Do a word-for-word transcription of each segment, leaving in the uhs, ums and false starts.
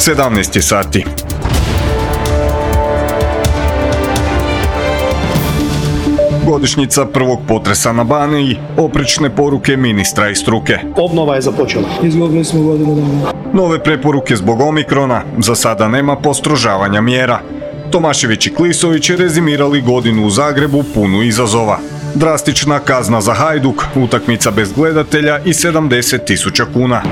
sedamnaest sati. Godišnjica prvog potresa na Baniji, oprečne poruke ministra i struke. Obnova je započela. Izgubili smo godinu dana. Nove preporuke zbog Omikrona, za sada nema postrožavanja mjera. Tomašević i Klisović rezimirali godinu u Zagrebu punu izazova. Drastična kazna za Hajduk, utakmica bez gledatelja i sedamdeset tisuća kuna.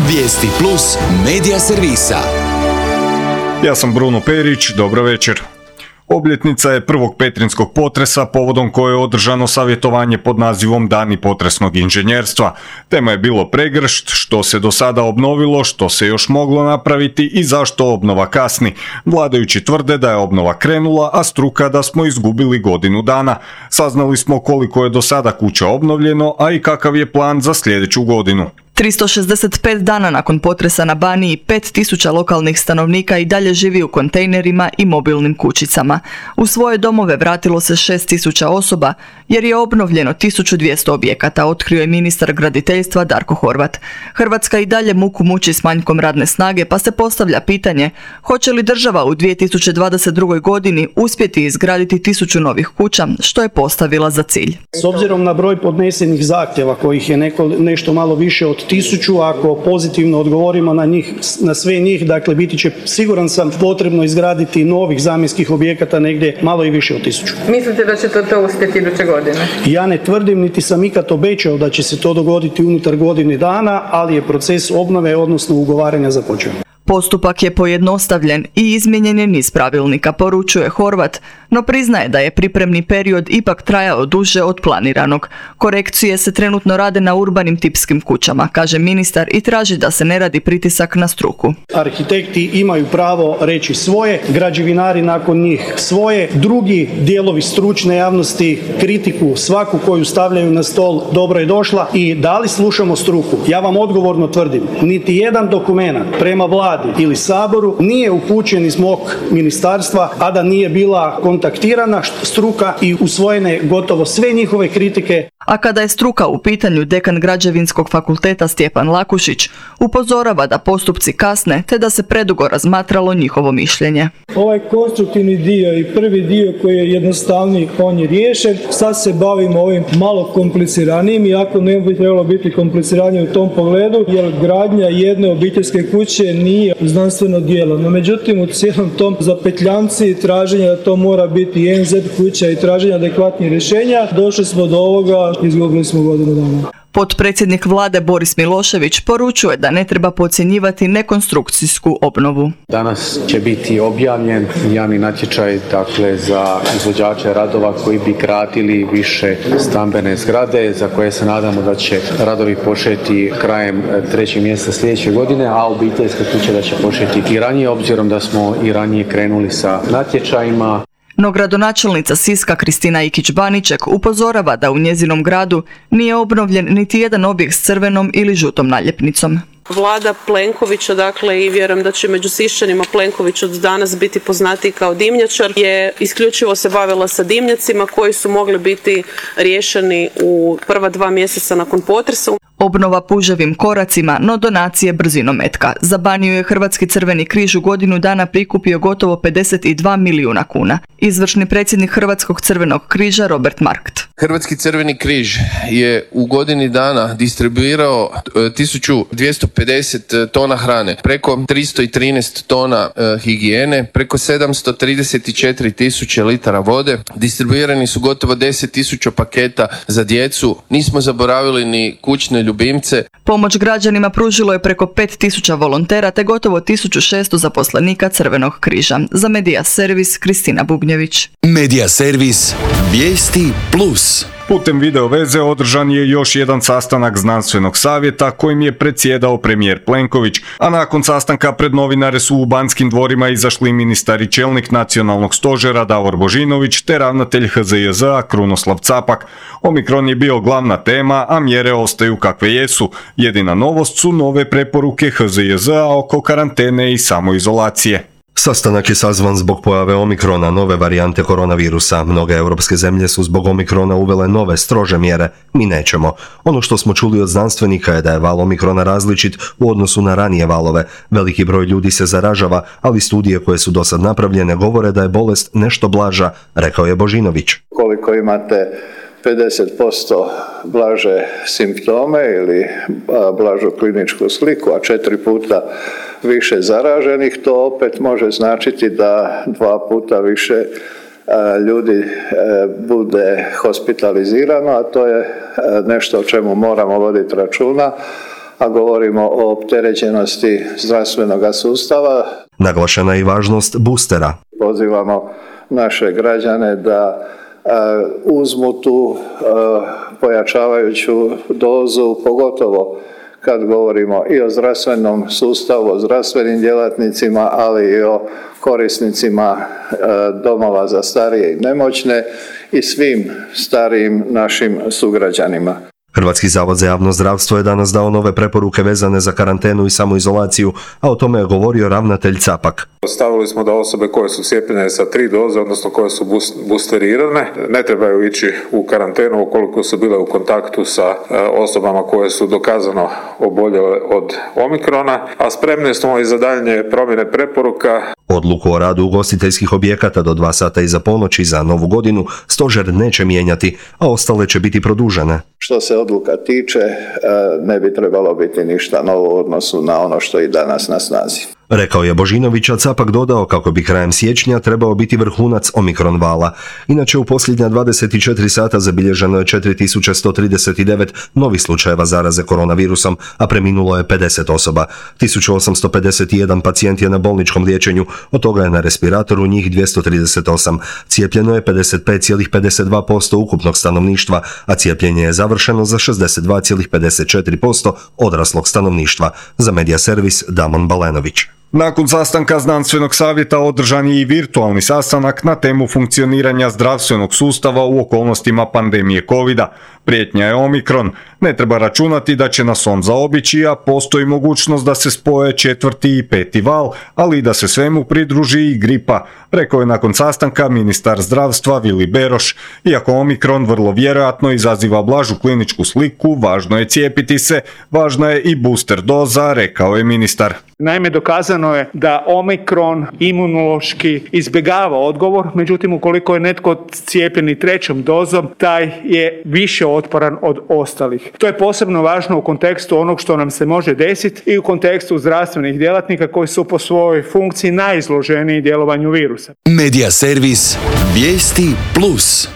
Vijesti plus medija servisa. Ja sam Bruno Perić, dobro večer. Obljetnica je prvog petrinskog potresa, povodom koje je održano savjetovanje pod nazivom Dani potresnog inženjerstva. Tema je bilo pregršt, što se do sada obnovilo, što se još moglo napraviti i zašto obnova kasni. Vladajući tvrde da je obnova krenula, a struka da smo izgubili godinu dana. Saznali smo koliko je do sada kuća obnovljeno, a i kakav je plan za sljedeću godinu. tristo šezdeset pet dana nakon potresa na Baniji, pet tisuća lokalnih stanovnika i dalje živi u kontejnerima i mobilnim kućicama. U svoje domove vratilo se šest tisuća osoba, jer je obnovljeno tisuću dvjesto objekata, otkrio je ministar graditeljstva Darko Horvat. Hrvatska i dalje muku muči s manjkom radne snage, pa se postavlja pitanje hoće li država u dvije tisuće dvadeset drugoj. godini uspjeti izgraditi tisuću novih kuća, što je postavila za cilj. S obzirom na broj podnesenih zahtjeva, kojih je neko, nešto malo više od tisuću, ako pozitivno odgovorimo na njih, na sve njih, dakle biti će, siguran sam, potrebno izgraditi novih zamjenskih objekata negdje malo i više od tisuću. Mislite da će to, to uspjeti iduće godine? Ja ne tvrdim, niti sam ikad obećao da će se to dogoditi unutar godine dana, ali je proces obnove, odnosno ugovaranja, započeo. Postupak je pojednostavljen i izmijenjen je niz pravilnika, poručuje Horvat, no priznaje da je pripremni period ipak trajao duže od planiranog. Korekcije se trenutno rade na urbanim tipskim kućama, kaže ministar, i traži da se ne radi pritisak na struku. Arhitekti imaju pravo reći svoje, građevinari nakon njih svoje, drugi dijelovi stručne javnosti kritiku svaku koju stavljaju na stol dobro je došla i da li slušamo struku? Ja vam odgovorno tvrdim, niti jedan dokument prema vladi ili Saboru nije upućen iz mog ministarstva, a da nije bila kontaktirana struka i usvojene gotovo sve njihove kritike. A kada je struka u pitanju, dekan Građevinskog fakulteta Stjepan Lakušić upozorava da postupci kasne te da se predugo razmatralo njihovo mišljenje. Ovaj konstruktivni dio i prvi dio koji je jednostavniji, on je riješen. Sad se bavimo ovim malo kompliciranijim, iako ne bi trebalo biti kompliciranije u tom pogledu, jer gradnja jedne obiteljske kuće nije znanstveno djelo. No međutim, u cijelom tom zapetljanci traženja da to mora biti I N Z kuća i traženja adekvatnih rješenja, došli smo do ovoga, izgubili smo godinu dana. Potpredsjednik vlade Boris Milošević poručuje da ne treba podcjenjivati nekonstrukcijsku obnovu. Danas će biti objavljen javni natječaj, dakle, za izvođače radova koji bi gradili više stambene zgrade, za koje se nadamo da će radovi početi krajem trećeg mjeseca sljedeće godine, a obiteljske kuće da će početi i ranije, obzirom da smo i ranije krenuli sa natječajima. No gradonačelnica Siska Kristina Ikić-Baniček upozorava da u njezinom gradu nije obnovljen niti jedan objekt s crvenom ili žutom naljepnicom. Vlada Plenkovića, dakle, i vjerujem da će među Siščanima Plenković od danas biti poznatiji kao dimnjačar, je isključivo se bavila sa dimnjacima koji su mogli biti riješeni u prva dva mjeseca nakon potresa. Obnova puževim koracima, no donacije brzinom metka. Za Baniju je Hrvatski crveni križ u godinu dana prikupio gotovo pedeset dva milijuna kuna. Izvršni predsjednik Hrvatskog crvenog križa Robert Markt. Hrvatski crveni križ je u godini dana distribuirao tisuću dvjesto pedeset tona hrane, preko tristo trinaest tona e, higijene, preko sedamsto trideset četiri tisuće litara vode, distribuirani su gotovo deset tisuća paketa za djecu, nismo zaboravili ni kućne ljubimce. Pomoć građanima pružilo je preko pet tisuća volontera te gotovo tisuću šesto zaposlenika Crvenog križa. Za Medija servis Kristina Bubnjević. Medija servis Vijesti plus. Putem video veze održan je još jedan sastanak znanstvenog savjeta kojim je predsjedao premijer Plenković, a nakon sastanka pred novinare su u Banskim dvorima izašli ministar i čelnik nacionalnog stožera Davor Božinović te ravnatelj H Z J Z-a Krunoslav Capak. Omikron je bio glavna tema, a mjere ostaju kakve jesu. Jedina novost su nove preporuke H Z J Z-a oko karantene i samoizolacije. Sastanak je sazvan zbog pojave omikrona, nove varijante koronavirusa. Mnoge europske zemlje su zbog omikrona uvele nove, strože mjere. Mi nećemo. Ono što smo čuli od znanstvenika je da je val omikrona različit u odnosu na ranije valove. Veliki broj ljudi se zaražava, ali studije koje su do sad napravljene govore da je bolest nešto blaža, rekao je Božinović. Koliko imate pedeset posto blaže simptome ili blažu kliničku sliku, a četiri puta više zaraženih, to opet može značiti da dva puta više ljudi bude hospitalizirano, a to je nešto o čemu moramo voditi računa, a govorimo o opterećenosti zdravstvenog sustava. Naglašena je i važnost boostera. Pozivamo naše građane da uzmu tu pojačavajuću dozu, pogotovo kad govorimo i o zdravstvenom sustavu, o zdravstvenim djelatnicima, ali i o korisnicima domova za starije i nemoćne i svim starijim našim sugrađanima. Hrvatski zavod za javno zdravstvo je danas dao nove preporuke vezane za karantenu i samoizolaciju, a o tome je govorio ravnatelj Capak. Stavili smo da osobe koje su cijepljene sa tri doze, odnosno koje su boosterirane, ne trebaju ići u karantenu ukoliko su bile u kontaktu sa osobama koje su dokazano oboljele od omikrona, a spremni smo i za daljnje promjene preporuka. Odluku o radu ugostiteljskih objekata do dva sata iza ponoći za novu godinu stožer neće mijenjati, a ostale će biti produžene. Što se odluka tiče, ne bi trebalo biti ništa novo u odnosu na ono što je i danas na snazi. Rekao je Božinović, a Capak dodao kako bi krajem siječnja trebao biti vrhunac omikron vala. Inače, u posljednja dvadeset četiri sata zabilježeno je četiri tisuće sto trideset devet novih slučajeva zaraze koronavirusom, a preminulo je pedeset osoba. tisuću osamsto pedeset jedan pacijent je na bolničkom liječenju, od toga je na respiratoru njih dvjesto trideset osam. Cijepljeno je pedeset pet zarez pedeset dva posto ukupnog stanovništva, a cijepljenje je završeno za šezdeset dva zarez pedeset četiri posto odraslog stanovništva. Za Medija servis Damon Balenović. Nakon sastanka znanstvenog savjeta održan je i virtualni sastanak na temu funkcioniranja zdravstvenog sustava u okolnostima pandemije kovida. Prijetnja je omikron. Ne treba računati da će nas on zaobići, a postoji mogućnost da se spoje četvrti i peti val, ali i da se svemu pridruži i gripa, rekao je nakon sastanka ministar zdravstva Vili Beroš. Iako omikron vrlo vjerojatno izaziva blažu kliničku sliku, važno je cijepiti se, važna je i booster doza, rekao je ministar. Naime, dokazano je da omikron imunološki izbjegava odgovor, međutim ukoliko je netko cijepljen i trećom dozom, taj je više otporan od ostalih. To je posebno važno u kontekstu onog što nam se može desiti i u kontekstu zdravstvenih djelatnika koji su po svojoj funkciji najizloženiji djelovanju virusa. Medija servis Vijesti plus.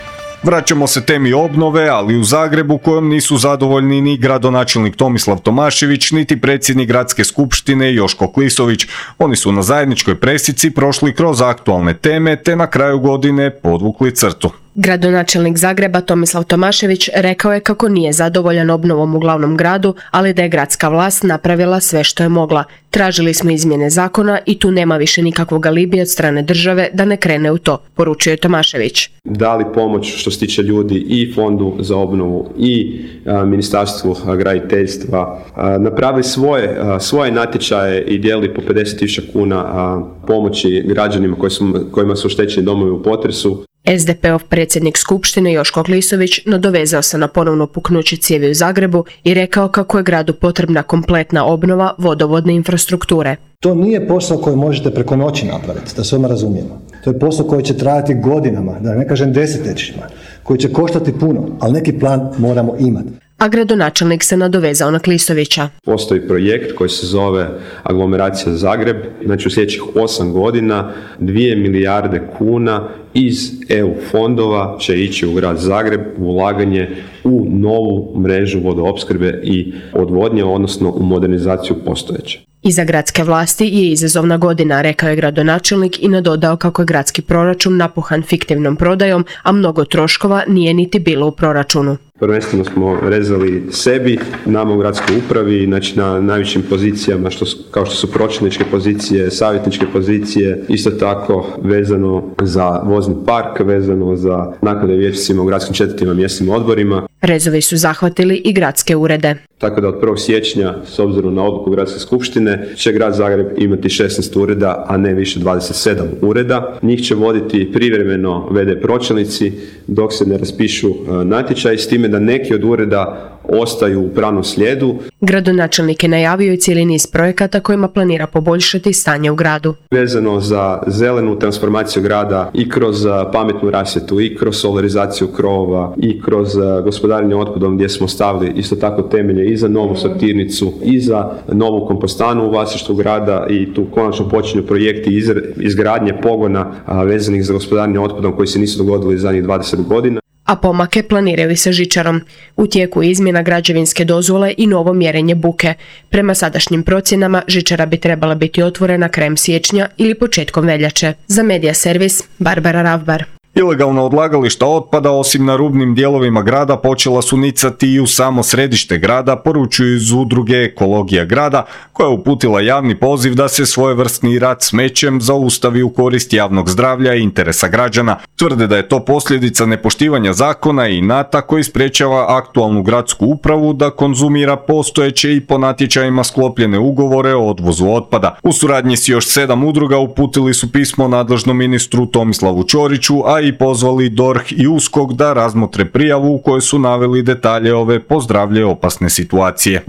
Vraćamo se temi obnove, ali u Zagrebu kojom nisu zadovoljni ni gradonačelnik Tomislav Tomašević, niti predsjednik gradske skupštine Joško Klisović. Oni su na zajedničkoj presici prošli kroz aktualne teme te na kraju godine podvukli crtu. Gradonačelnik Zagreba Tomislav Tomašević rekao je kako nije zadovoljan obnovom u glavnom gradu, ali da je gradska vlast napravila sve što je mogla. Tražili smo izmjene zakona i tu nema više nikakvog alibi od strane države da ne krene u to, poručio je Tomašević. Dali pomoć što se tiče ljudi i Fondu za obnovu i a, Ministarstvu graditeljstva. A, napravili svoje, a, svoje natječaje i dijelili po pedeset tisuća kuna a, pomoći građanima koji su, kojima su oštećeni domovi u potresu. es de pe ov predsjednik skupštine Joško Klisović nadovezao se na ponovno puknuće cijevi u Zagrebu i rekao kako je gradu potrebna kompletna obnova vodovodne infrastrukture. To nije posao koji možete preko noći napraviti, da se odmah razumijemo. To je posao koji će trajati godinama, da ne kažem desetljećima, koji će koštati puno, ali neki plan moramo imati. A gradonačelnik se nadovezao na Klisovića. Postoji projekt koji se zove Aglomeracija Zagreb, znači u sljedećih osam godina dvije milijarde kuna iz E U fondova će ići u grad Zagreb u ulaganje u novu mrežu vodoopskrbe i odvodnje, odnosno u modernizaciju postojeće. Iza gradske vlasti je izazovna godina, rekao je gradonačelnik i nadodao kako je gradski proračun napuhan fiktivnom prodajom, a mnogo troškova nije niti bilo u proračunu. Prvenstveno smo rezali sebi, nama u gradskoj upravi, znači na najvišim pozicijama što su, kao što su pročelničke pozicije, savjetničke pozicije, isto tako vezano za vozni park, vezano za naknade vijećnicima u gradskim četvrtima, mjesnim odborima. Rezovi su zahvatili i gradske urede. Tako da od prvog siječnja, s obzirom na odluku Gradske skupštine, će Grad Zagreb imati šesnaest ureda, a ne više dvadeset sedam ureda. Njih će voditi privremeno ve de pročelnici dok se ne raspišu natječaj, s time da neki od ureda ostaju u pravnom slijedu. Gradonačelnik je najavio i cijeli niz projekata kojima planira poboljšati stanje u gradu. Vezano za zelenu transformaciju grada i kroz pametnu rasvjetu, i kroz solarizaciju krovova, i kroz gospodarenje otpadom, gdje smo stavili isto tako temelje i za novu sortirnicu i za novu kompostanu u vlasništvu grada, i tu konačno počinju projekti izgradnje pogona vezanih za gospodarenje otpadom koji se nisu dogodili zadnjih dvadeset godina. A pomake planiraju sa žičarom. U tijeku je izmjena građevinske dozvole i novo mjerenje buke. Prema sadašnjim procjenama žičara bi trebala biti otvorena krajem siječnja ili početkom veljače. Za Medija servis, Barbara Ravbar. Ilegalna odlagališta otpada, osim na rubnim dijelovima grada, počela su nicati i u samo središte grada, poručuju iz udruge Ekologija grada, koja je uputila javni poziv da se svojevrsni rad smećem zaustavi u korist javnog zdravlja i interesa građana. Tvrde da je to posljedica nepoštivanja zakona i inata koji sprečava aktualnu gradsku upravu da konzumira postojeće i po natječajima sklopljene ugovore o odvozu otpada. U suradnji s još sedam udruga uputili su pismo nadležnom ministru Tomislavu Ćoriću, a i pozvali D O R H i U S K O K da razmotre prijavu u kojoj su naveli detalje ove pozdravlje opasne situacije.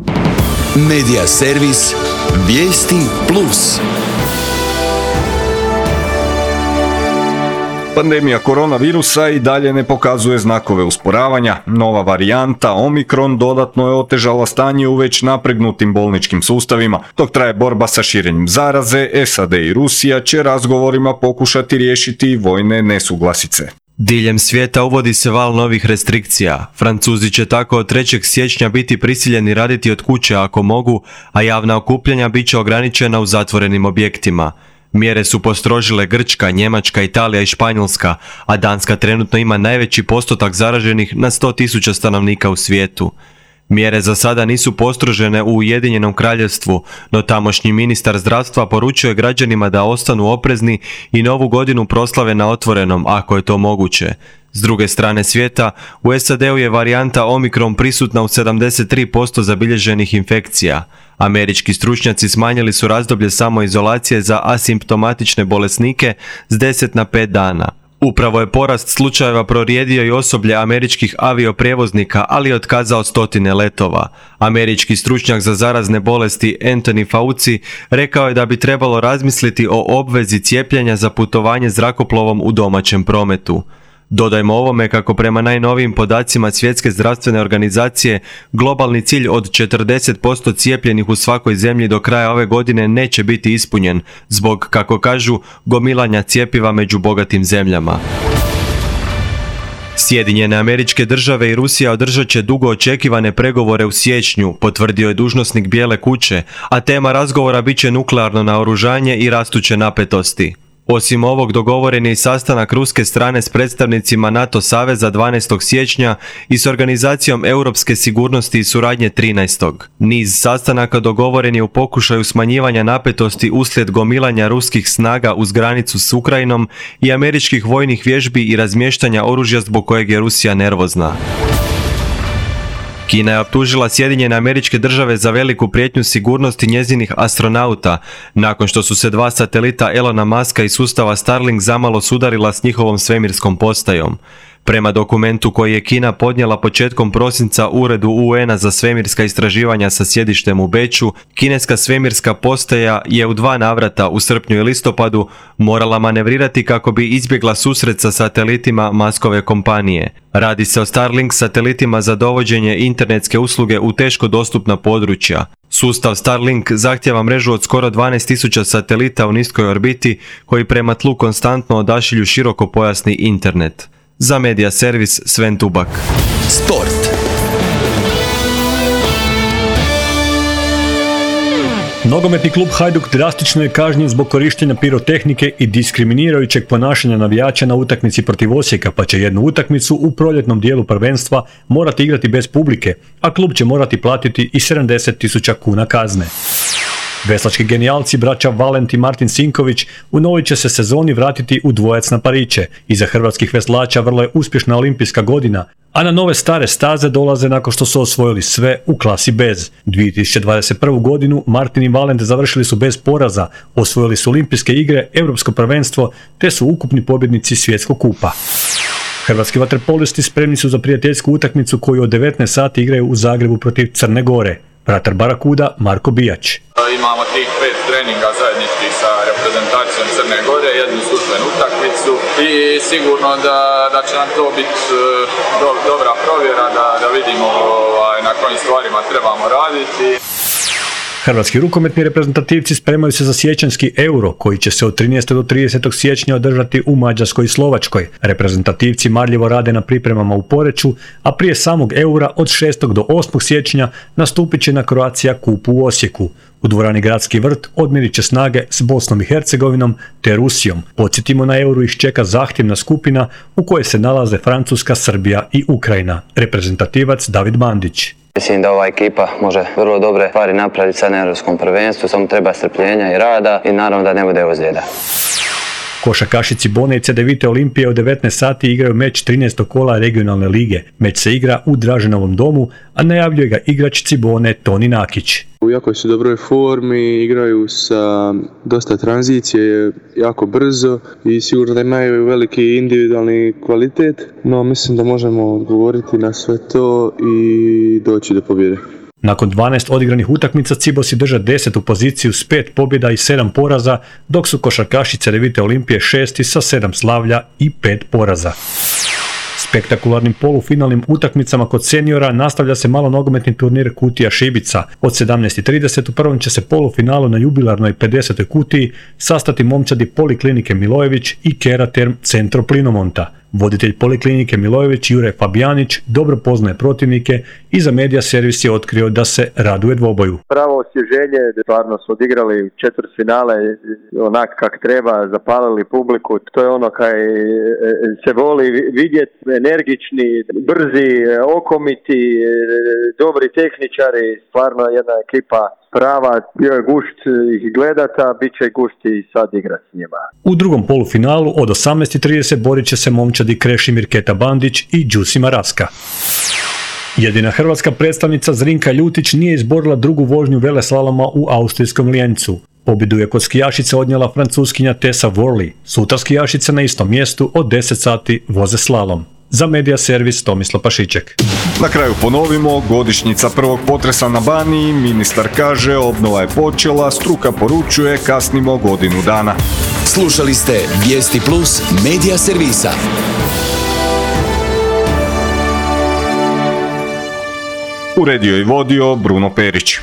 Medija servis Vijesti plus. Pandemija koronavirusa i dalje ne pokazuje znakove usporavanja. Nova varijanta Omikron dodatno je otežala stanje u već napregnutim bolničkim sustavima. Dok traje borba sa širenjem zaraze, S A D i Rusija će razgovorima pokušati riješiti vojne nesuglasice. Diljem svijeta uvodi se val novih restrikcija. Francuzi će tako od trećeg siječnja biti prisiljeni raditi od kuće ako mogu, a javna okupljanja bit će ograničena u zatvorenim objektima. Mjere su postrožile Grčka, Njemačka, Italija i Španjolska, a Danska trenutno ima najveći postotak zaraženih na sto tisuća stanovnika u svijetu. Mjere za sada nisu postrožene u Ujedinjenom Kraljevstvu, no tamošnji ministar zdravstva poručuje građanima da ostanu oprezni i novu godinu proslave na otvorenom, ako je to moguće. S druge strane svijeta, u S A D-u je varijanta Omikron prisutna u sedamdeset tri posto zabilježenih infekcija. Američki stručnjaci smanjili su razdoblje samoizolacije za asimptomatične bolesnike s deset na pet dana. Upravo je porast slučajeva prorijedio i osoblje američkih avioprijevoznika, ali je otkazao stotine letova. Američki stručnjak za zarazne bolesti Anthony Fauci rekao je da bi trebalo razmisliti o obvezi cijepljenja za putovanje zrakoplovom u domaćem prometu. Dodajmo ovome kako prema najnovijim podacima Svjetske zdravstvene organizacije globalni cilj od četrdeset posto cijepljenih u svakoj zemlji do kraja ove godine neće biti ispunjen zbog, kako kažu, gomilanja cjepiva među bogatim zemljama. Sjedinjene Američke Države i Rusija održat će dugo očekivane pregovore u siječnju, potvrdio je dužnosnik Bijele kuće, a tema razgovora bit će nuklearno naoružanje i rastuće napetosti. Osim ovog, dogovoren je i sastanak ruske strane s predstavnicima NATO saveza dvanaestog siječnja i s Organizacijom europske sigurnosti i suradnje trinaestog Niz sastanaka dogovoren je u pokušaju smanjivanja napetosti uslijed gomilanja ruskih snaga uz granicu s Ukrajinom i američkih vojnih vježbi i razmještanja oružja zbog kojeg je Rusija nervozna. Kina je optužila Sjedinjene Američke Države za veliku prijetnju sigurnosti njezinih astronauta, nakon što su se dva satelita Elona Muska i sustava Starlink zamalo sudarila s njihovom svemirskom postajom. Prema dokumentu koji je Kina podnijela početkom prosinca Uredu U N-a za svemirska istraživanja sa sjedištem u Beču, kineska svemirska postaja je u dva navrata u srpnju i listopadu morala manevrirati kako bi izbjegla susret sa satelitima Muskove kompanije. Radi se o Starlink satelitima za dovođenje internetske usluge u teško dostupna područja. Sustav Starlink zahtjeva mrežu od skoro dvanaest tisuća satelita u niskoj orbiti koji prema tlu konstantno odašilju širokopojasni internet. Za Medija servis Sven Tubak. Sport. Nogometni klub Hajduk drastično je kažnjen zbog korištenja pirotehnike i diskriminirajućeg ponašanja navijača na utakmici protiv Osijeka, pa će jednu utakmicu u proljetnom dijelu prvenstva morati igrati bez publike, a klub će morati platiti i sedamdeset tisuća kuna kazne. Veslački genijalci braća Valent i Martin Sinković u novoj će se sezoni vratiti u dvojac na pariće. Iza hrvatskih veslača vrlo je uspješna olimpijska godina, a na nove stare staze dolaze nakon što su osvojili sve u klasi bez. dvije tisuće dvadeset prvu. godinu Martin i Valent završili su bez poraza, osvojili su olimpijske igre, europsko prvenstvo, te su ukupni pobjednici svjetskog kupa. Hrvatski vaterpolisti spremni su za prijateljsku utakmicu koju od devetnaest sati igraju u Zagrebu protiv Crne Gore. Vratar Barakuda Marko Bijač. Imamo tih pet treninga zajedničkih sa reprezentacijom Crne Gore, jednu službenu utakmicu i sigurno da, da će nam to biti do, dobra provjera da, da vidimo ovaj, na kojim stvarima trebamo raditi. Hrvatski rukometni reprezentativci spremaju se za siječanjski Euro, koji će se od trinaestog do tridesetog siječnja održati u Mađarskoj i Slovačkoj. Reprezentativci marljivo rade na pripremama u Poreču, a prije samog Eura od šestog do osmog siječnja nastupit će na Croatia Kupu u Osijeku. U dvorani Gradski vrt odmjerit će snage s Bosnom i Hercegovinom te Rusijom. Podsjetimo, na Euru ih čeka zahtjevna skupina u kojoj se nalaze Francuska, Srbija i Ukrajina. Reprezentativac David Mandić. Mislim da ova ekipa može vrlo dobre stvari napraviti sad na Europskom prvenstvu, samo treba strpljenja i rada i naravno da ne bude ozljeda. Košarkašici Bone i Cedevite Olimpije u devetnaest sati igraju meč trinaestog kola regionalne lige. Meč se igra u Draženovom domu, a najavljuje ga igrač Cibone Toni Nakić. U jako su dobroj formi, igraju sa dosta tranzicije, jako brzo i sigurno da imaju veliki individualni kvalitet, no mislim da možemo odgovoriti na sve to i doći do pobjede. Nakon dvanaest odigranih utakmica Cibosi drže desetu poziciju s pet pobjeda i sedam poraza, dok su košarkaši Cedevite Olimpije šesti sa sedam slavlja i pet poraza. Spektakularnim polufinalnim utakmicama kod seniora nastavlja se malo nogometni turnir Kutija Šibica. Od sedamnaest i trideset u prvom će se polufinalu na jubilarnoj pedesetoj kutiji sastati momčadi Poliklinike Milojević i Keraterm Centro Plinomonta. Voditelj Poliklinike Milojević Jure Fabijanić dobro poznaje protivnike i za Media Servis je otkrio da se raduje dvoboju. Pravo osvježenje, stvarno su odigrali četvrtfinale onak kak treba, zapalili publiku, to je ono kaj se voli vidjeti, energični, brzi, okomiti, dobri tehničari, stvarno jedna ekipa prava, bio je gušt ih gledata, bit će gušt i sad igrati s njima. U drugom polufinalu od osamnaest i trideset borit će se momčadi Krešimir Keta Bandić i Đusima Raska. Jedina hrvatska predstavnica Zrinka Ljutić nije izborila drugu vožnju veleslaloma u austrijskom Lijencu. Pobjedu je kod skijašice odnijela francuskinja Tessa Worley. Sutra skijašice na istom mjestu od deset sati voze slalom. Za Media Servis Tomislav Pašiček. Na kraju ponovimo, godišnjica prvog potresa na Baniji, ministar kaže obnova je počela, struka poručuje kasnimo godinu dana. Slušali ste Vijesti Plus Media Servisa. Uredio i vodio Bruno Perić.